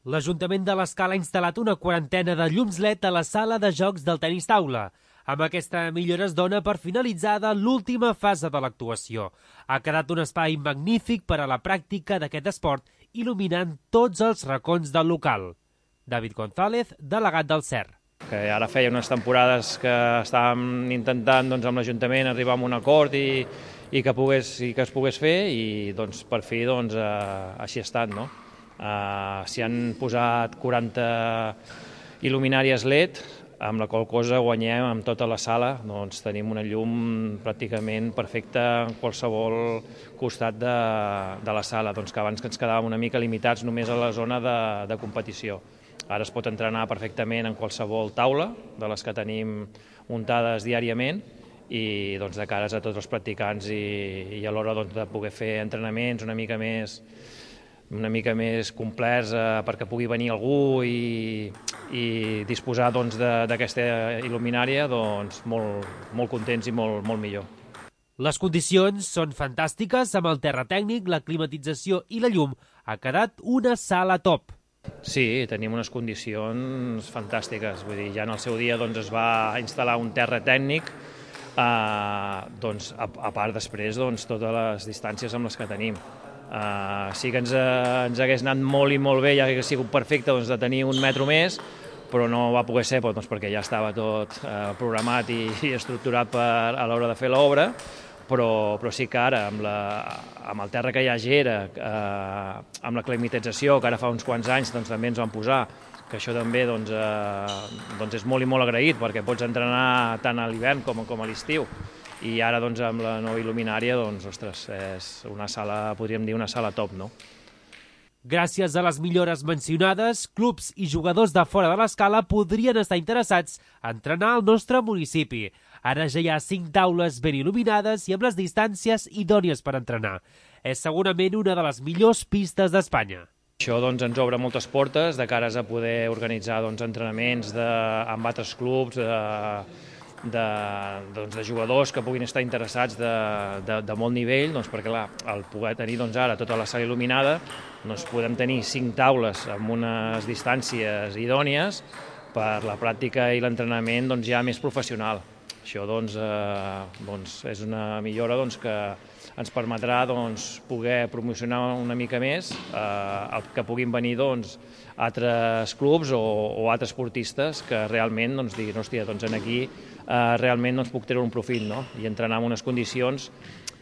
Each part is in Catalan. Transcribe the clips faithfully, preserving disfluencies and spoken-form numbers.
L'Ajuntament de l'Escala ha instal·lat una quarantena de llums L E D a la sala de jocs del tenis taula. Amb aquesta millora es dona per finalitzada l'última fase de l'actuació. Ha quedat un espai magnífic per a la pràctica d'aquest esport, il·luminant tots els racons del local. David González, delegat del C E R. Que ara feia unes temporades que estàvem intentant doncs, amb l'Ajuntament arribar a un acord i, i, que pogués, i que es pogués fer i doncs, per fi doncs, eh, així ha estat. No? Uh, S'hi han posat quaranta il·luminàries L E D, amb la qual cosa guanyem amb tota la sala, doncs tenim una llum pràcticament perfecta en qualsevol costat de, de la sala, doncs que abans que ens quedàvem una mica limitats només a la zona de, de competició. Ara es pot entrenar perfectament en qualsevol taula de les que tenim muntades diàriament i doncs, de cares a tots els practicants i, i a l'hora doncs, de poder fer entrenaments una mica més una mica més complets eh, perquè pugui venir algú i, i disposar doncs, d'aquesta il·luminària, doncs, molt, molt contents i molt, molt millor. Les condicions són fantàstiques, amb el terra tècnic, la climatització i la llum. Ha quedat una sala top. Sí, tenim unes condicions fantàstiques. Vull dir, ja en el seu dia doncs, es va instal·lar un terra tècnic, eh, doncs, a, a part després doncs, totes les distàncies amb les que tenim. Uh, sí que ens, uh, ens hagués anat molt i molt bé, ja hagués sigut perfecte doncs, de tenir un metro més, però no va poder ser doncs, perquè ja estava tot uh, programat i, i estructurat per, a l'hora de fer l'obra, però, però sí que ara, amb, la, amb el terra que hi ha a Gera, uh, amb la climatització, que ara fa uns quants anys doncs, també ens van posar, que això també doncs, uh, doncs és molt i molt agraït, perquè pots entrenar tant a l'hivern com, com a l'estiu. I ara, doncs, amb la nova il·luminària, doncs, ostres, és una sala, podríem dir, una sala top, no? Gràcies a les millores mencionades, clubs i jugadors de fora de l'Escala podrien estar interessats a entrenar al nostre municipi. Ara ja hi ha cinc taules ben il·luminades i amb les distàncies idònies per entrenar. És segurament una de les millors pistes d'Espanya. Això doncs, ens obre moltes portes de cares a poder organitzar doncs, entrenaments de, amb altres clubs, de, De, doncs, de jugadors que puguin estar interessats de, de, de molt nivell, doncs, perquè clar, al poder tenir doncs, ara tota la sala il·luminada, doncs, podem tenir cinc taules amb unes distàncies idònies per la pràctica i l'entrenament doncs, ja més professional. Això doncs, eh, doncs, és una millora doncs, que ens permetrà doncs, poder promocionar una mica més eh, que puguin venir doncs, altres clubs o, o altres esportistes que realment doncs, diguin, hòstia, doncs, aquí eh, realment doncs, puc treure un profit, no? I entrenar en unes condicions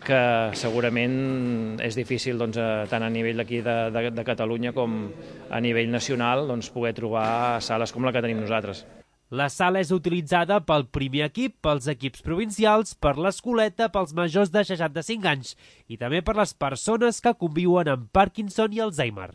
que segurament és difícil doncs, tant a nivell d'aquí de, de, de Catalunya com a nivell nacional doncs, poder trobar sales com la que tenim nosaltres. La sala és utilitzada pel primer equip, pels equips provincials, per l'escoleta, pels majors de seixanta-cinc anys i també per les persones que conviuen amb Parkinson i Alzheimer.